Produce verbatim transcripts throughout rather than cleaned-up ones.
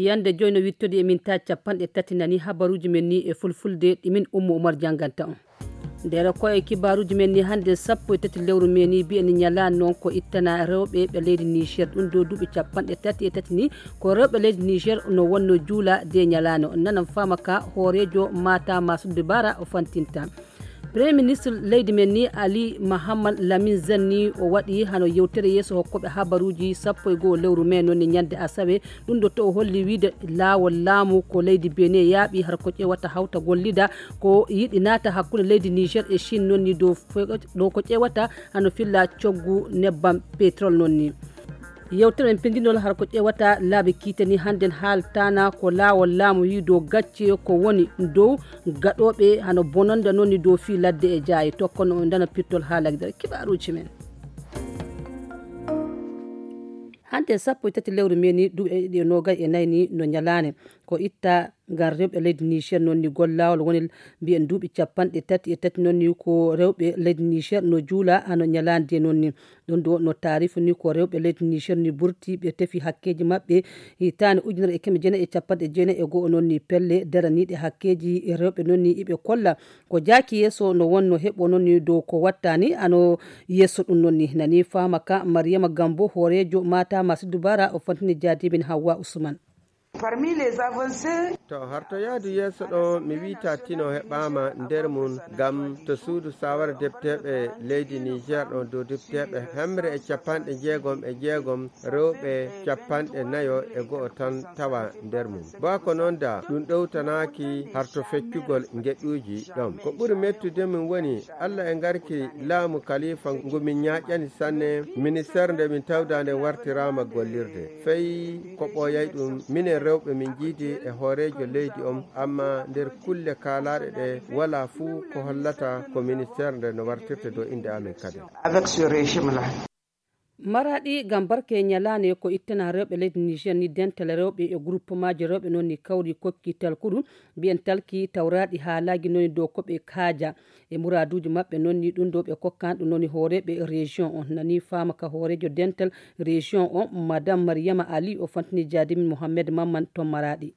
Yande joy no wittodi e min ta capanɗe tati nani habaruji men ni e fulfulde ɗi min Ummu Umar janganta on. Nder ko e kibaruji men ni hande sappo e tati lewru men ni bi'en nyalano noon ko ittana rewɓe ɓe leydi Niger. Ɗum ɗo duuɓi capanɗe tati e tati ni ko rewɓe leydi Niger no wonno juula de nyalano. Nanan fama ka hoorejo mata Masuddu Bara o fantinta. Premier ministre leydi men ni Ali Mahamad Lamin Zen ni o waɗi hano yewtere yeeso hokkoɓe habaruji sappo e go'o lewru mai noon ni ñande asawe. Ɗum ɗo to o holli wiide laawol laamu ko leydi Benin yaaɓi har ko ƴewata hawta gollida ko yiɗi naata hakkunde leydi Niger e Chine noon ni dow fe-, ɗo ko ƴewata hano filla coggu nebbam pétrole noon ni. Yewtere men pindinol har ko ƴewata laabi kiitani hannden haaltana ko laawol laamu yi dow gacce ko woni dow gaɗooɓe hano bononda noon ni dow fii ladde e jaayi. Tokkono on dana pittol haalagdere kibaruuji men. Hannde sappo e tati lewru men ni duuɓi ɗiɗi e noogay e nayi ni no ñalaande ko itta ngal rewɓe leydi Niger noon ni gollaawol woni mbiyen duuɓi capanɗe tati e tati noon ni ko rewɓe leydi Niger no juula hano ñalaande noon ni. Ɗum ɗo no taarifu ni ko rewɓe leydi Niger ni burti ɓe tefi hakkeeji maɓɓe hitaande ujunere e keme jeenayi e capanɗe jeenayi e go'o noon ni pelle daraniiɗe hakkeeji rewɓe noon ni iɓe kolla ko jaaki yeeso no wonno heɓo noon ni dow ko wattani ano yeeso ɗum noon ni nani faama ka Mariama Gambo hooreejo mata Masidu Bara o fantini jaadimin Hawwa Usman. Parmi les avancées. To harto yaadu yeeso ɗo mi wiita tino heɓaama nder mum ngam to suudu sawara depteeɓe leydi Niger ɗon dow depteeɓe hemre e capanɗe jeegom e jeegom rewɓe capanɗe nayo e go'o tan tawa nder mum. Bako noon da ɗum ɗowtanaaki harto feccugol ngeɗuuji ɗon. Ko ɓuri mettude min woni Allah e ngarki laamu kalifa ngu min ñaaƴani sanne ministeer nde min tawda nde wartiraama gollirde. Fey ko ɓooyay ɗum minen rewɓe min jiidi e hooreejo leydi on, amma nder kulle kaalaaɗe ɗe walaa fuu ko hollata ko ministeer nde no wartirte dow innde amin kadi. Avec ce régime-là. Maraɗi ngam barke ñalaande ko ittana rewɓe leydi Niger ni dental rewɓe e groupemaaji rewɓe noon ni kawri kokki talkuru mbiyen talki tawraɗi haalaaji noon ni dow ko ɓe kaaja e muraaduuji maɓɓe noon ni ɗum ɗo ɓe kokkan ɗum noon ni hooreeɓe région on nani faama ka hooreejo dental région on madame Mariama Ali o fantini jaadimin Mohammed Mamman to Maraɗi.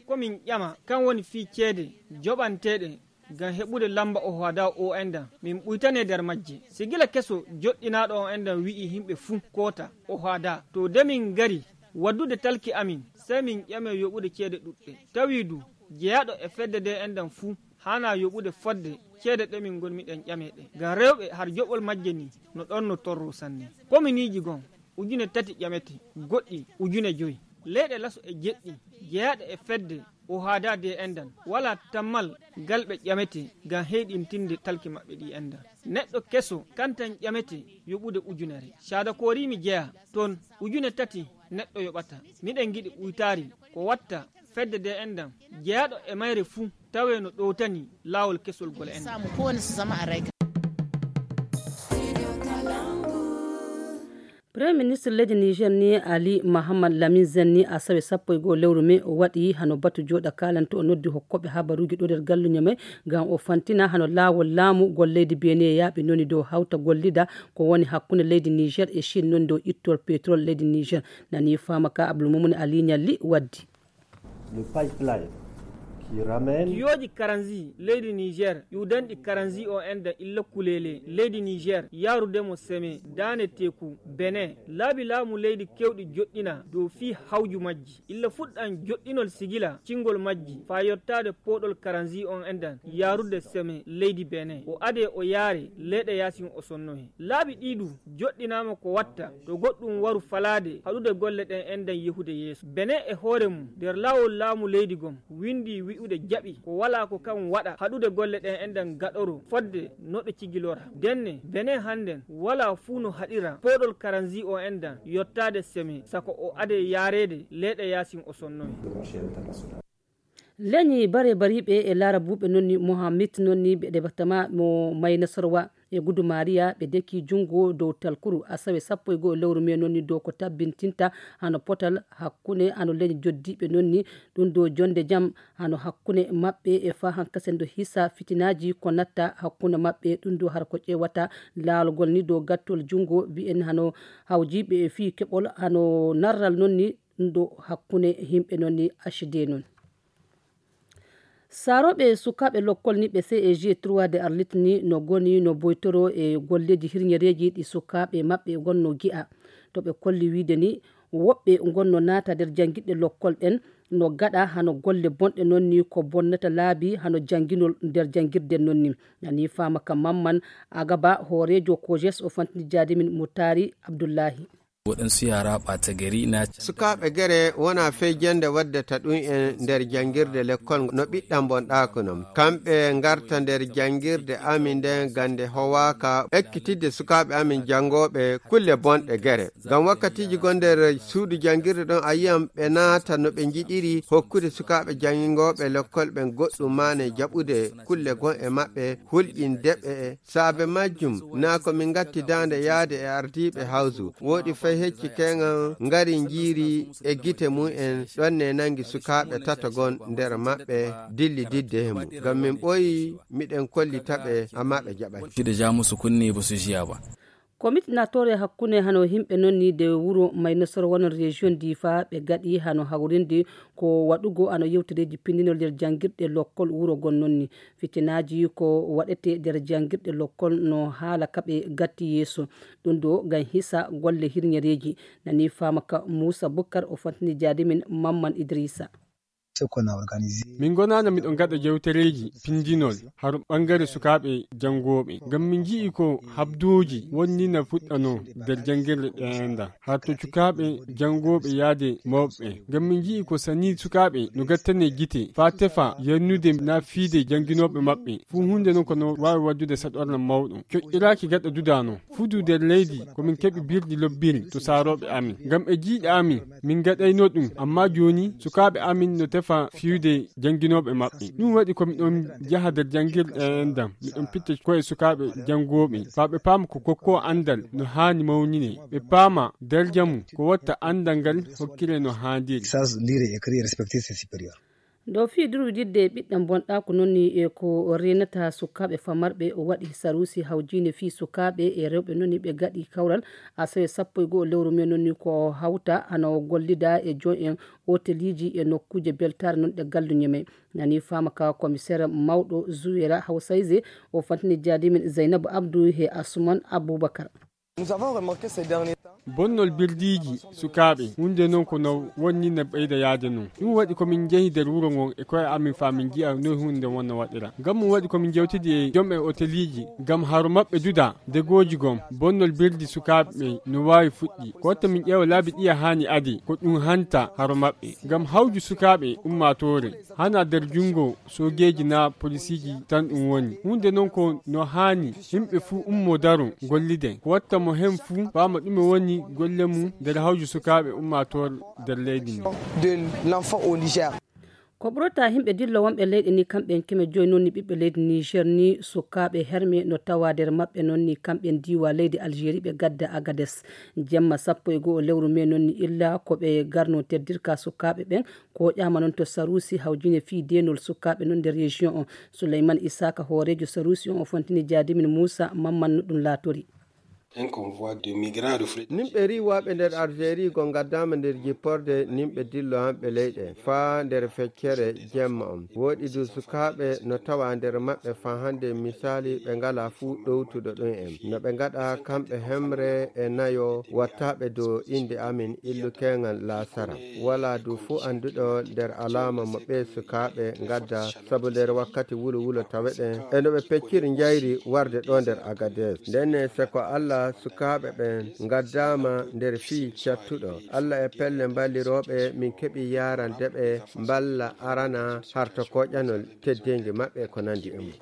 Komin ƴama kan woni fii ceede joɓanteeɗe ngam heɓude lamba o hoada o endan min ɓuytane nder majje sigila keso joɗɗinaaɗo o endan wi'i himɓe fuu koota o hoada to de min ngari waddude talki amin sey min ƴame yoɓude ceede ɗuɗɗe tawi du jeyaaɗo e fedde de endan fuu haana yoɓude fodde ceede ɗe min ngonmiɗen ƴame ɗe ngam rewɓe har joɓol majje ni no ɗon no torro sanne kominiiji gon ujune tati ƴamete goɗɗi ujune joyi leyɗe laso e jeɗɗi jeyaaɗe e fedde o haada de endan wala tammal gal ɓe ƴamete ngam heyɗintinde talki maɓɓe ɗi endan neɗɗo keso kantan ƴamete yoɓude ujunere caada koorimi jeya toon ujune tati neɗɗo yoɓata miɗen giɗi ɓuytaari ko watta fedde de endan jeyaaɗo e mayre fuu tawe no ɗowtani laawol kesol gol endan. Premier ministre leydi Niger ni Ali Mahamad Lamin Zen ni asawe sappo e go'o lewru mai o waɗi hano batu jooɗa kaalanto o noddi hokkoɓe habaruji ɗo nder galluño mai ngam o fantina hano laawol laamu gol leydi Benin yaaɓi noni dow hawta gollida ko woni hakkunde leydi Niger e Chine noni dow ittol pétrole leydi Niger nani faama ka Abdoulmoumouni Ali Nialli waddi. Le pipeline qui ramène. Kiyooji karanzi leydi Niger ƴuudanɗi karanzi o enda illa kuleele leydi Niger yaarude mo seme daane teeku Benin laabi laamu leydi kewɗi joɗɗina dow fii hawju majji illa fuɗɗan joɗɗinol sigila cingol majji faa yottaade pooɗol karanzi on endan yaarude seme leydi Benin o adee o yaare leeɗe yaasin o sonnohe laabi ɗii du joɗɗinaama ko watta to goɗɗum waru falaade haɗude golle ɗen endan yehude yeeso Benin e hoore mum nder laawol laamu leydi gom windi wi'ude jaɓi ko walaa ko kan waɗa haɗude golle ɗen endan gaɗoro fodde no ɗo cigilora denne Benin hannden walaa fuu no haɗira pooɗol karanzi o endan yottaade seme sako o adee yaareede leeɗe yaasin o sonnohe. Leñi bare bariɓe e laarabuɓe nonni Mohamed nonni ɓe département mo Maynasorwa e Gudu Maria ɓe deki jungo dow talkuru asawe sappo e go'o lewru mai nonni dow ko tabbintinta hano potal hakkunde hano leñi joddiɓe nonni ɗum dow jonde jam hano hakkunde maɓɓe e fa hankasen do hisa fitinaji ko natta hakkunde maɓɓe ɗum dow har ko ƴewata laalgol ni dow gattol jungo mbi'en hano hawjiɓe e fii keɓol hano narral nonni ɗo hakkunde yimɓe noon ni acide noon. Saarooɓe sukaaɓe lokkol ni ɓe C E G trois de Arlit ni no goni no boytoro e golleeji hirñereeji ɗi sukaaɓe maɓɓe gonno gi'a. To ɓe kolli wiide ni woɓɓe gonno naata nder janngirɗe lokkol ɗen no gaɗa hano golle bonɗe noon ni ko bonnata laabi hano jannginol nder janngirde noon ni. Nani faama ka Mamman Agaba hooreejo Kojes o fantini jaadimin Mutaari Abdullahi. Waɗansu yara ɓata gari na sukaaɓe gere wona fey jannde waddata ɗum en nder janngirde lekkol no ɓiɗɗan bonɗaako non. Kamɓe ngarta nder janngirde amin nden gannde howaaka ekkitidde sukaaɓe amin janngooɓe kulle bonɗe gere. Ngam wakkatiiji gon nder suudu janngirde ɗon a yi'an ɓe naata no ɓe njiɗiri hokkude sukaaɓe janngooɓe lekkol ɓen goɗɗum maane jaɓude kulle gon e maɓɓe hulɓinde ɓe. Saabe majjum, naa ko min ngatti daande yaade e ardiiɓe hawsu, woɗi fay hecci keŋan ngari njiiri e gite mum en, ɗon ne nangi sukaaɓe tato gon nder maɓɓe dilli didde he mum. Ngam min ɓooyi, miɗen kollita ɓe, ammaa ɓe jaɓay. Fiɗo jaamusu kunne ba su jiya ba. Komit natoore hakkunde hano yimɓe noon ni de wuro Maynasoro wonon région Difa ɓe gaɗi hano hawrinde ko waɗugo hano yewtereeji pinndinol nder janngirɗe lokkol wuro gon noon ni. Fitinaaji ko waɗete nder janngirɗe lokkol no haala kaɓe gatti yeeso. Ɗum ɗo ngam hisa golle hirñereeji. Nani faama ka Muusa Bukkar o fantini jaadimin Mamman Idrisa. Min gonaana miɗo ngaɗa jewtereeji pinndinol har ɓangare sukaaɓe janngooɓe. Ngam min nji'i ko habdooji wonni na fuɗɗanoo nder janngirɗe ɗeenda. Har to sukaaɓe janngooɓe yaade mawɓe. Ngam min nji'i ko sanii sukaaɓe no gattane gite faa tefa yannude na fiide jannginooɓe maɓɓe. Fuu huunde non ko no waawi waddude saɗorna mawɗo. Coƴƴiraaki gaɗa dudaano. Fudu nder leydi ko min keɓi birdi lobbiri to saarooɓe amin. Ngam e jiiɗe amin, min ngaɗayno ɗum, ammaa jooni sukaaɓe amin no tefa fiyude jannginooɓe maɓɓe. Ɗum waɗi ko miɗon jaha nder janngirɗe enɗam, miɗon pitta ko'e sukaaɓe janngooɓe, faa ɓe paama ko kokkoowo anndal no haani mawninee, ɓe paama darja mum, ko watta anndal ngal hokkiree no haandiri. Sage, lire, écrire, respecter ses supérieurs. Ɗo fii durwididde e ɓiɗɗam bonɗaaku noon ni e ko reenata sukaaɓe famarɓe o waɗi saruusi hawjiinde fii sukaaɓe e rewɓe noon ni ɓe gaɗi kawral asawe sappo e go'o lewru mee noon ni ko hawta hano gollida e joom en oteliiji e nokkuuje beltaare noon ɗe galluñe may. Nani faama ka komiseer mawɗo Zuwera Hawsayse o fantini jaadimin Zaynabu Abdu he Asuman Abubakar. Bonnol birdiiji sukaaɓe, huunde non ko no wonni no ɓeyda yaade non. Ɗum waɗi ko min njehi nder wuro ngon e ko'e amin faa min nji'a noy huunde nden wonna waɗira. Ngam ɗum waɗi ko min njewtidi e jom'en oteliiji ngam haro maɓɓe duda degooji gom bonnol birdi sukaaɓe no waawi fuɗɗi. Ko watta min ƴeewa laabi ɗiya haani adi ko ɗum hanta haro maɓɓe. Ngam hawju sukaaɓe ummaatoore, hana nder junngo soogeeji naa polisiiji tan ɗum woni. Huunde non ko no haani yimɓe fuu ummoo daro golliden. Ko watta mo hen fuu faama ɗume woni golle mum nder hawju sukaaɓe ummaatoor nder leydi ndi. Ko ɓurata yimɓe dillo wonɓe leyɗe ni kamɓe en keme joyi noon ni ɓiɓɓe leydi Niger ni sukaaɓe herme no tawa nder maɓɓe noon ni kamɓe en diiwa leydi Algérie ɓe gadda Agades. Jemma sappo e go'o lewru mee noon ni illa ko ɓe garno teddirka sukaaɓe ɓen. Ko ƴaama noon to saruusi hawjine fii deenol sukaaɓe noon nder région on. Suleyman Isaaka hooreejo saruusi on o fontini jaadimin Muusa Mamman no ɗum laatori. Nimɓe riiwaaɓe nder Algérie go ngaddaama nder jipporde nimɓe dillo hamɓe leyɗe faa nder feccere jemma on. Wooɗi du sukaaɓe no tawa nder maɓɓe faa hannde misaali ɓe ngalaa fuu ɗowtuɗo ɗum en. No ɓe ngaɗa kamɓe hemre e nayo wattaaɓe dow innde amin illu keeŋal laasara. Walaa du fuu annduɗo nder alaama mo ɓee sukaaɓe ngadda sabu nder wakkati wulo wulo taweɗen e no ɓe pecciri njayri warde ɗo nder Agades. Ndenne se ko Alla sukaaɓe ɓen ngaddaama nder fii cattuɗo. Alla e pelle mballirooɓe min keɓi yaarande ɓe mballa arana harto koƴanol teddeengi maɓɓe ko nandi e mum.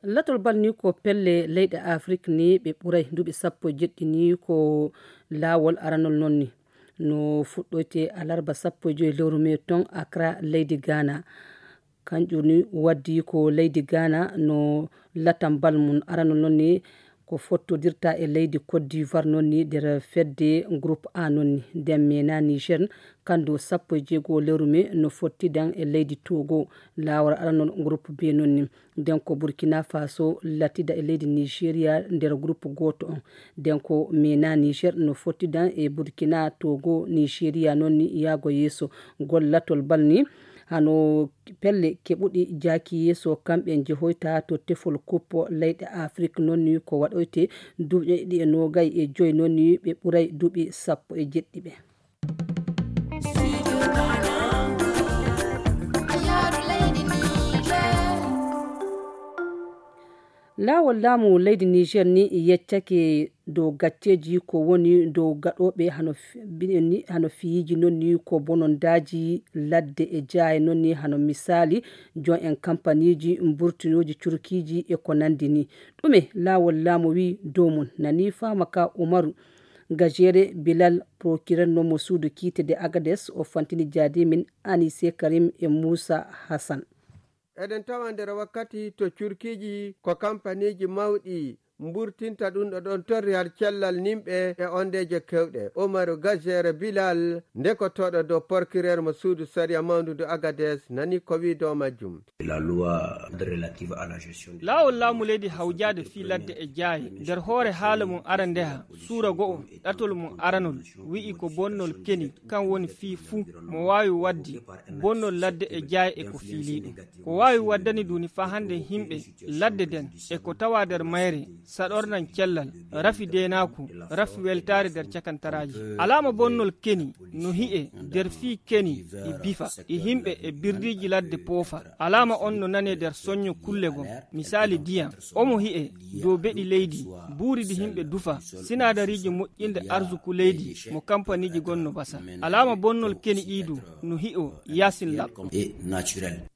Latol bal ni ko pelle leyɗe Afrik ni ɓe ɓuray duuɓi sappo e jeɗɗi ni ko laawol aranol noon ni. No fuɗɗoyte alarba sappo e joyi lewru mee ton Accra leydi Ghana. Kanƴum ni waddi ko leydi Ghana no latam bal mum aranol noon ni Ko fottodirta e leydi Côte d'Ivoire noon ni nder fedde groupe A noon ni. Nden mena Niger, kandu sappo e jeego lewru me no fottidan e leydi Togo. Laawol aranol groupe B noon ni. Nden ko Burkina Faso latida e leydi Nigeria nder groupe gooto on. Nden ko mena Niger no fottidan e Burkina, Togo, Nigeria noon ni yaago yeeso. Gollatol bal ni hano pelle keɓuɗi jaaki yeeso kamɓe njehoyta to tefol kuppo leyɗe Afrik noon ni ko waɗoyte duuɓi ɗiɗi e noogay e joy noon ni ɓe ɓuray duuɓi sappo e jeɗɗi ɓe. Laawol laamu leydi Niger ni yeccake dow gacceeji ko woni dow gaɗooɓe hano fi-, binen ni hano fiyiiji noon ni ko bonondaaji ladde e jaaye noon ni hano misaali jon en kampaniiji mburtinooji curkiiji e ko nanndi ni. Ɗume laawol laamu wi dow mum? Nani faama ka Umaru Gajere Bilal, procureur noon mo suudu kiite de Agades, o fantini jaadi min Anise Karim e Muusa Hassan. Eɗen tawa nder wakkati to curkiiji ko kampaniiji mawɗi mburtinta ɗum ɗo ɗon torri har cellal nimɓe e ondeeje kewɗe. Umaru Gajere Bilal, ndekotooɗo dow procureur mo suudu sariya mawndu ndu Agades, nani ko wi dow majjum. La loi relative à la gestion des Laawol laamu leydi hawjaade fii ladde e jaaye, nder hoore haala mum arandeha, suura go'o, ɗatol mum aranol, wi'i ko bonnol keni, kan woni fii fuu mo waawi waddi bonnol ladde e jaaye e ko fiilii ɗum. Ko waawi waddani duni faa hannde himɓe ladde den e ko tawa nder mayre, saɗornan cellal, rafi deenaaku, rafi weltaare nder cakantaraaji. Alaama bonnol keni no hi'e nder fii keni ɗi bifa, ɗi himɓe e birdiiji ladde poofa. Alaama on no nanee nder soño kulle gom. Misaali diyan, omo hi'e dow beɗi leydi, buuri ɗi himɓe dufa, sinaadariiji moƴƴinde arsuku leydi mo kampaniiji gon no basa. Alaama bonnol keni ɗii du no hi'o yaasin laɓɗo.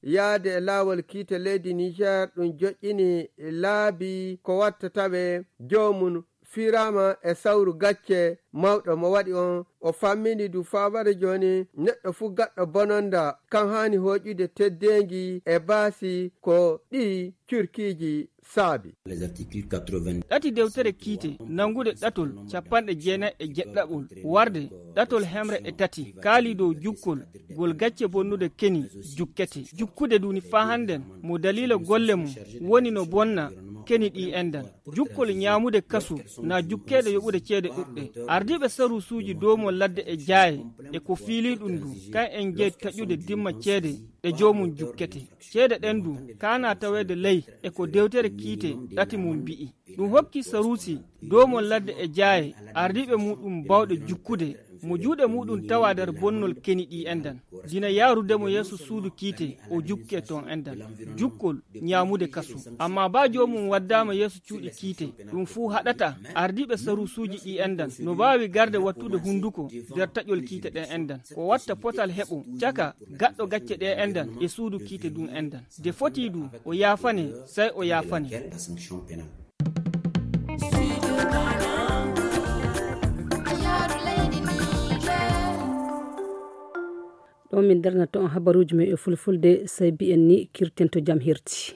Yaade e laawol kiite leydi Niger, ɗum joƴƴini laabi ko watta tawe joomum fiiraama e sawru gacce mawɗo mo waɗi on. O fammini du faa wara jooni neɗɗo fuu gaɗɗo bononda kan haani hooƴude teddeengi e baasi ko ɗi curkiiji saabi. Ɗati dewtere kiite nanngude ɗatol capanɗe jeenayi e jeɗɗaɓol warde ɗatol hemre e tati kaali dow jukkol gol gacce bonnude keni jukkete. Jukkude duni faa hannden mo daliila golle mum woni no bonna keni ɗi endan. Jukkol ñaamude kasu na jukkeede yoɓude ceede ɗuɗɗe. Ardiiɓe saruusuuji doomol ladde e jaaye e ko fiilii ɗum du, kan en jeyi taƴude dimma ceede ɗe joomum jukkete. Ceede ɗen du kaana taweede ley e ko dewtere kiite ɗati mum bi'i. Ɗum hokki saruusi doomol ladde e jaaye ardiiɓe muɗum bawɗe jukkude mo juuɗe muɗum tawa nder bonnol keni ɗi endan. Dina yaarude mo yeeso suudu kiite o jukke toon endan. Jukkol ñaamude kasu. Amma baa joomum waddaama yeeso cuuɗi kiite, ɗum fuu haɗata ardiiɓe saruusuuji ɗi endan no mbaawi garde wattude hunnduko nder taƴol kiite ɗen endan. Ko watta potal heɓo caka gaɗɗo gacce ɗe endan e suudu kiite ɗum endan. De foti du o yaafane, sey o yaafane. Ɗo min darnata on habaruuji men e fulfulde, sey mbiyen ni kirten to jam hirti.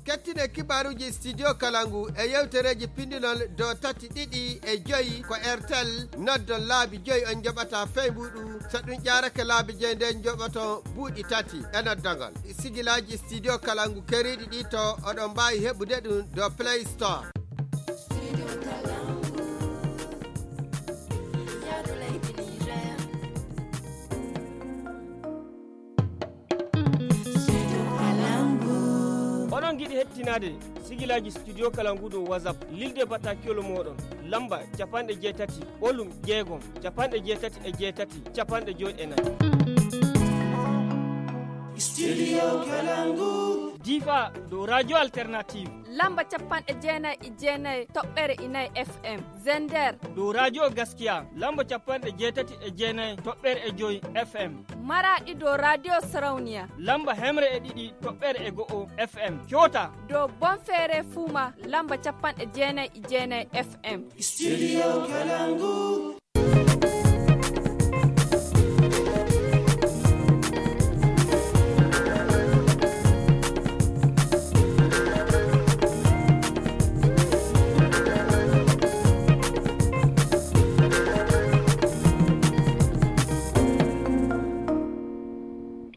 Kettine kibaruuji Studio Kalangu e yewtereeji pindinol do tati ɗiɗi e joyi ko Airtel, noddon laabi joyi on njoɓata feybuɗu, so ɗum ƴaarake laabi joyi nden njoɓoto buuɗi tati e noddogol. Sigilaaji Studio Kalangu keriiɗi ɗi to oɗon mbaawi heɓude ɗum do Play Store. Oɗon ngiɗi hettinaade sigilaaji Studio Kalangu dow WhatsApp, lilde battakiyol mooɗon, lamba capanɗe jeetati, ɓolum jeegom, capanɗe jeetati e jeetati, capanɗe joy e nayi. Studio Kalangu. Difa dow Radio Alternative. Lamba capanɗe jeenayi e jeenayi toɓɓere e nayi F M. Zender. Dow Radio Gaskiya, lamba capanɗe jeetati e jeenayi toɓɓere e joy F M. Maraɗi dow Radio Sarauniya. Lamba hemre e ɗiɗi toɓɓere e go'o F M. Coota. Dow Bonfere Fuma, lamba capanɗe jeenayi e jeenayi F M. Studio Kalangu.